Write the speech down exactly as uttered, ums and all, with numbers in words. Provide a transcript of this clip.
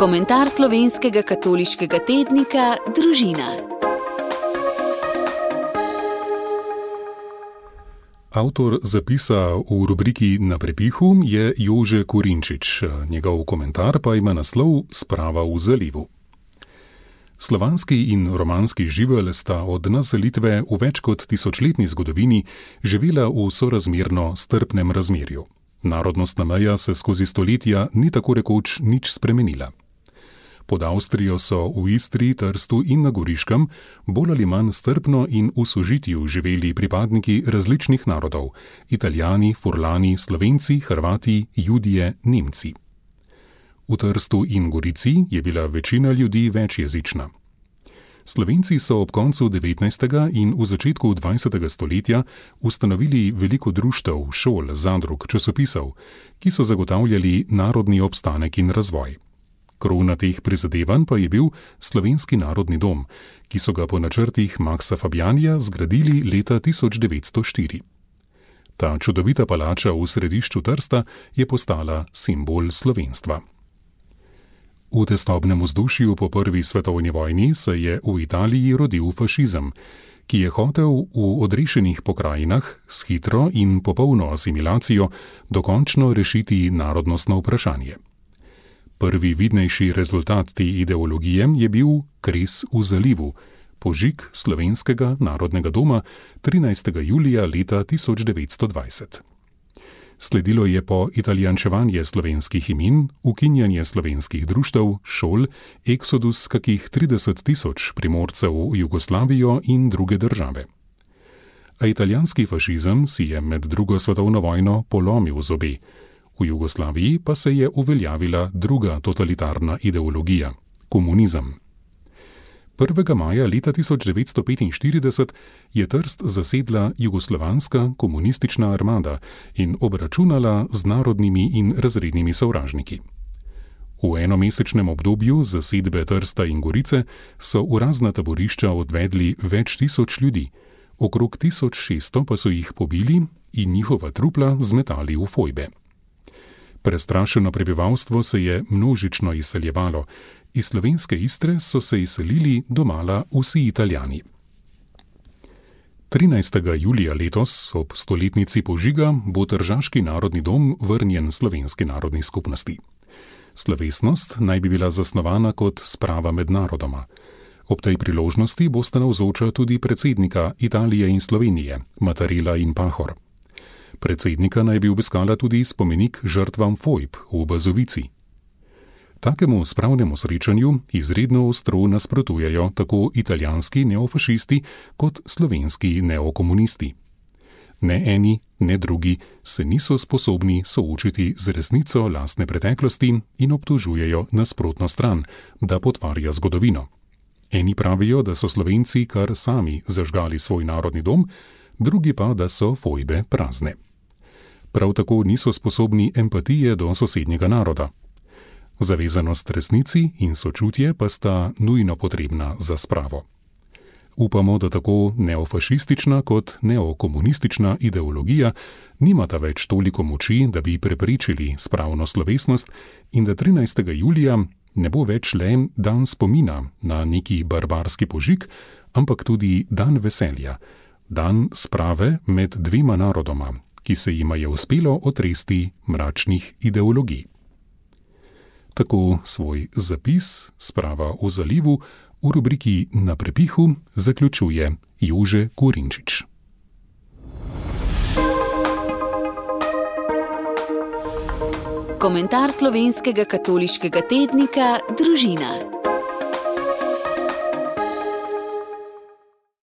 Komentar slovenskega katoliškega tednika Družina. Avtor zapisa v rubriki Na prepihu je Jože Kurinčič, njegov komentar pa ima naslov Sprava v zalivu. Slovanski in romanski živelj sta od naselitve v več kot tisočletni zgodovini živela v sorazmerno strpnem razmerju. Narodnostna meja se skozi stoletja ni tako rekoč nič spremenila. Pod Avstrijo so v Istri, Trstu in na Goriškem bolj ali manj strpno in v sožitju živeli pripadniki različnih narodov: Italijani, Furlani, Slovenci, Hrvati, Judje, Nemci. V Trstu in Gorici je bila večina ljudi večjezična. Slovenci so ob koncu devetnajstega in v začetku dvajsetega stoletja ustanovili veliko društev, šol, zadrug, časopisov, ki so zagotavljali narodni obstanek in razvoj. Krona teh prizadevanj pa je bil Slovenski narodni dom, ki so ga po načrtih Maxa Fabijanja zgradili leta tisoč devetsto štiri. Ta čudovita palača v središču Trsta je postala simbol slovenstva. V tesnobnem vzdušju po prvi svetovni vojni se je v Italiji rodil fašizem, ki je hotel v odrešenih pokrajinah s hitro in popolno asimilacijo dokončno rešiti narodnostno vprašanje. Prvi vidnejši rezultat te ideologije je bil Kres v zalivu, požig Slovenskega narodnega doma trinajstega julija leta tisoč devetsto dvajset. Sledilo je po italijančevanje slovenskih imen, ukinjanje slovenskih društev, šol, eksodus kakih trideset tisoč Primorcev v Jugoslavijo in druge države. A italijanski fašizem si je med drugo svetovno vojno polomil zobe. V Jugoslaviji pa se je uveljavila druga totalitarna ideologija – komunizem. prvega maja leta tisoč devetsto petinštirideset je Trst zasedla jugoslovanska komunistična armada in obračunala z narodnimi in razrednimi sovražniki. V enomesečnem obdobju zasedbe Trsta in Gorice so v razna taborišča odvedli več tisoč ljudi, okrog tisoč šeststo pa so jih pobili in njihova trupla zmetali v fojbe. Prestrašeno prebivalstvo se je množično izseljevalo. Iz slovenske Istre so se izselili domala vsi Italijani. trinajstega julija letos, ob stoletnici požiga, bo Tržaški narodni dom vrnjen Slovenski narodni skupnosti. Slovesnost naj bi bila zasnovana kot sprava med narodoma. Ob tej priložnosti bosta navzoča tudi predsednika Italije in Slovenije, Mattarella in Pahor. Predsednika naj bi obiskala tudi spomenik žrtvam fojb v Bazovici. Takemu spravnemu srečanju izredno ostro nasprotujejo tako italijanski neofašisti kot slovenski neokomunisti. Ne eni, ne drugi se niso sposobni soočiti z resnico lastne preteklosti in obtožujejo nasprotno stran, da potvarja zgodovino. Eni pravijo, da so Slovenci kar sami zažgali svoj narodni dom, drugi pa, da so fojbe prazne. Prav tako niso sposobni empatije do sosednjega naroda. Zavezanost resnici in sočutje pa sta nujno potrebna za spravo. Upamo, da tako neofašistična kot neokomunistična ideologija nimata več toliko moči, da bi preprečili spravno slovesnost in da trinajstega julija ne bo več le dan spomina na neki barbarski požig, ampak tudi dan veselja, dan sprave med dvema narodoma, ki se jima je uspelo otresti mračnih ideologij. Tako svoj zapis Sprava v zalivu v rubriki Na prepihu zaključuje Jože Kurinčič. Komentar slovenskega katoliškega tednika Družina.